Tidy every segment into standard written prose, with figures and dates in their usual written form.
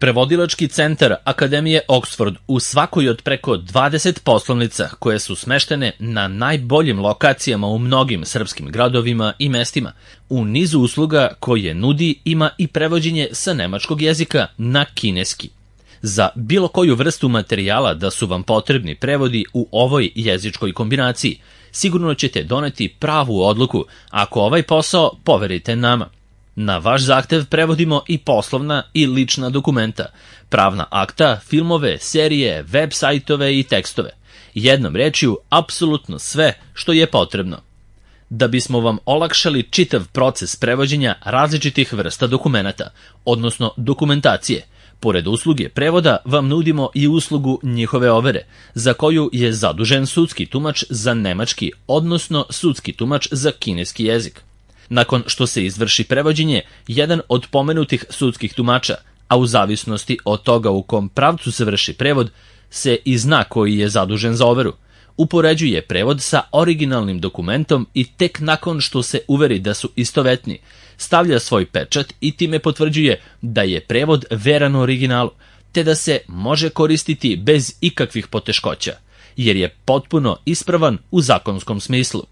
Prevodilački centar Akademije Oxford u svakoj od preko 20 poslovnica koje su smeštene na najboljim lokacijama u mnogim srpskim gradovima i mestima. U nizu usluga koje nudi ima i prevođenje sa nemačkog jezika na kineski. Za bilo koju vrstu materijala da su vam potrebni prevodi u ovoj jezičkoj kombinaciji, sigurno ćete doneti pravu odluku ako ovaj posao poverite nama. Na vaš zahtev prevodimo i poslovna i lična dokumenta, pravna akta, filmove, serije, web sajtove i tekstove. Jednom rečju, apsolutno sve što je potrebno. Da bismo vam olakšali čitav proces prevođenja različitih vrsta dokumenata, odnosno dokumentacije, pored usluge prevoda vam nudimo i uslugu njihove overe, za koju je zadužen sudski tumač za nemački, odnosno sudski tumač za kineski jezik. Nakon što se izvrši prevođenje, jedan od pomenutih sudskih tumača, a u zavisnosti od toga u kom pravcu se vrši prevod, se i zna koji je zadužen za overu. Upoređuje prevod sa originalnim dokumentom i tek nakon što se uveri da su istovetni, stavlja svoj pečat i time potvrđuje da je prevod veran originalu, te da se može koristiti bez ikakvih poteškoća, jer je potpuno ispravan u zakonskom smislu.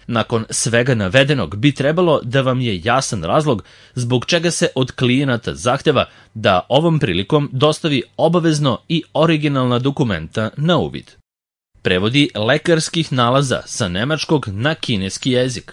Nakon svega navedenog bi trebalo da vam je jasan razlog zbog čega se od klijenata zahteva da ovom prilikom dostavi obavezno i originalna dokumenta na uvid. Prevodi lekarskih nalaza sa nemačkog na kineski jezik.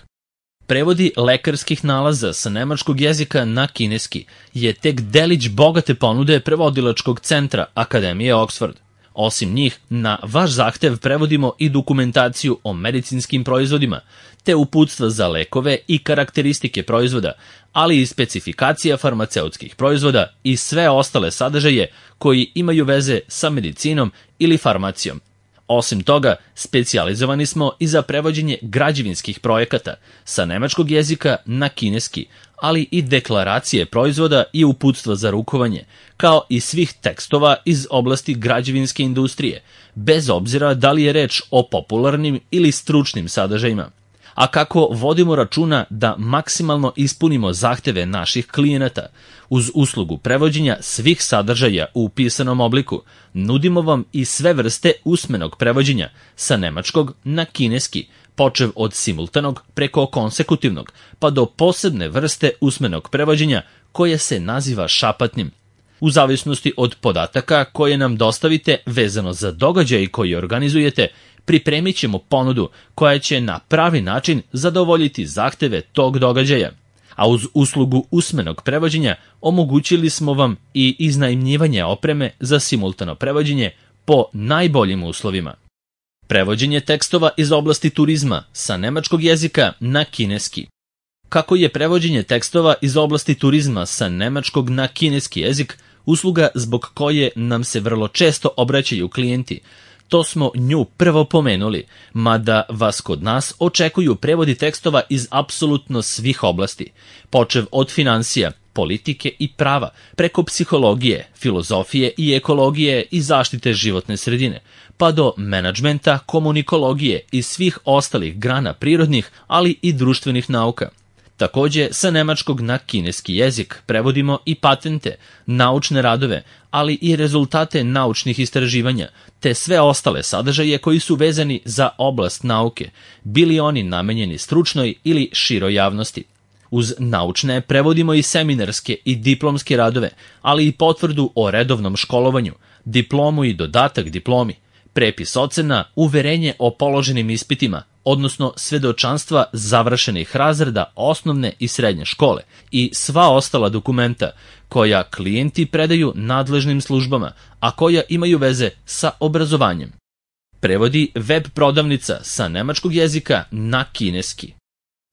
Prevodi lekarskih nalaza sa nemačkog jezika na kineski je tek delić bogate ponude prevodilačkog centra Akademije Oxford. Osim njih, na vaš zahtev prevodimo i dokumentaciju o medicinskim proizvodima, te uputstva za lekove i karakteristike proizvoda, ali i specifikacija farmaceutskih proizvoda i sve ostale sadržaje koji imaju veze sa medicinom ili farmacijom. Osim toga, specijalizovani smo i za prevođenje građevinskih projekata sa nemačkog jezika na kineski, ali i deklaracije proizvoda i uputstva za rukovanje, kao i svih tekstova iz oblasti građevinske industrije, bez obzira da li je reč o popularnim ili stručnim sadržajima. A kako vodimo računa da maksimalno ispunimo zahteve naših klijenata, uz uslugu prevođenja svih sadržaja u pisanom obliku, nudimo vam i sve vrste usmenog prevođenja sa nemačkog na kineski, počev od simultanog preko konsekutivnog, pa do posebne vrste usmenog prevođenja koje se naziva šapatnim. U zavisnosti od podataka koje nam dostavite vezano za događaj koji organizujete, pripremit ćemo ponudu koja će na pravi način zadovoljiti zahteve tog događaja. A uz uslugu usmenog prevođenja omogućili smo vam i iznajmljivanje opreme za simultano prevođenje po najboljim uslovima. Prevođenje tekstova iz oblasti turizma sa nemačkog jezika na kineski. Kako je prevođenje tekstova iz oblasti turizma sa nemačkog na kineski jezik usluga zbog koje nam se vrlo često obraćaju klijenti, to smo nju prvo pomenuli, mada vas kod nas očekuju prevodi tekstova iz apsolutno svih oblasti, počev od finansija, politike i prava, preko psihologije, filozofije i ekologije i zaštite životne sredine, pa do menadžmenta, komunikologije i svih ostalih grana prirodnih, ali i društvenih nauka. Takođe, sa nemačkog na kineski jezik prevodimo i patente, naučne radove, ali i rezultate naučnih istraživanja, te sve ostale sadržaje koji su vezani za oblast nauke, bili oni namenjeni stručnoj ili široj javnosti. Uz naučne prevodimo i seminarske i diplomske radove, ali i potvrdu o redovnom školovanju, diplomu i dodatak diplomi, prepis ocena, uverenje o položenim ispitima, odnosno svedočanstva završenih razreda osnovne i srednje škole i sva ostala dokumenta koja klijenti predaju nadležnim službama, a koja imaju veze sa obrazovanjem. Prevodi web prodavnica sa nemačkog jezika na kineski.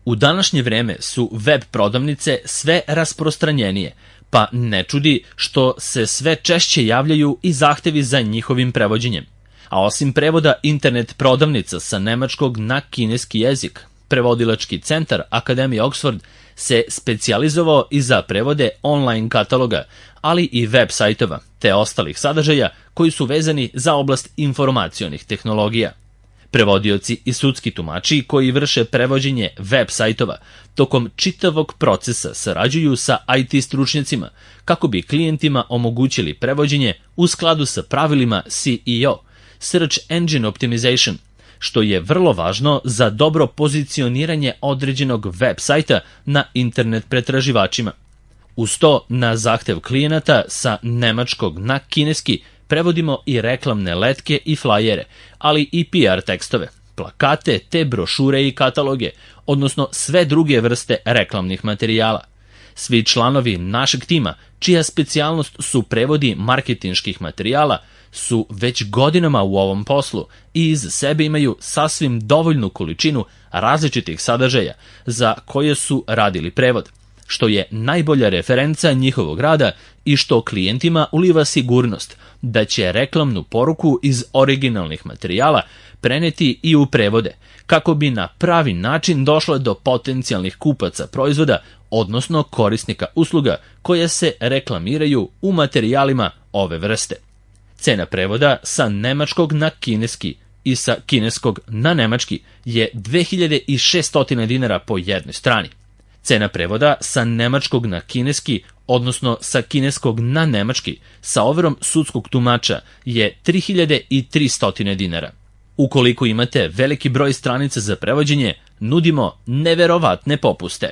U današnje vreme su web prodavnice sve rasprostranjenije, pa ne čudi što se sve češće javljaju i zahtevi za njihovim prevođenjem. A osim prevoda internet prodavnica sa nemačkog na kineski jezik, prevodilački centar Akademije Oxford se specijalizovao i za prevode online kataloga, ali i web sajtova, te ostalih sadržaja koji su vezani za oblast informacionih tehnologija. Prevodioci i sudski tumači koji vrše prevođenje web sajtova tokom čitavog procesa sarađuju sa IT stručnjacima kako bi klijentima omogućili prevođenje u skladu sa pravilima SEO, Search Engine Optimization, što je vrlo važno za dobro pozicioniranje određenog web sajta na internet pretraživačima. Uz to, na zahtev klijenata sa nemačkog na kineski prevodimo i reklamne letke i flajere, ali i PR tekstove, plakate te brošure i kataloge, odnosno sve druge vrste reklamnih materijala. Svi članovi našeg tima, čija specijalnost su prevodi marketinških materijala, su već godinama u ovom poslu i iz sebe imaju sasvim dovoljnu količinu različitih sadržaja za koje su radili prevod, što je najbolja referenca njihovog rada i što klijentima uliva sigurnost da će reklamnu poruku iz originalnih materijala preneti i u prevode, kako bi na pravi način došla do potencijalnih kupaca proizvoda, odnosno korisnika usluga koje se reklamiraju u materijalima ove vrste. Cena prevoda sa nemačkog na kineski i sa kineskog na nemački je 2600 dinara po jednoj strani. Cena prevoda sa nemačkog na kineski, odnosno sa kineskog na nemački, sa overom sudskog tumača je 3300 dinara. Ukoliko imate veliki broj stranica za prevođenje, nudimo neverovatne popuste.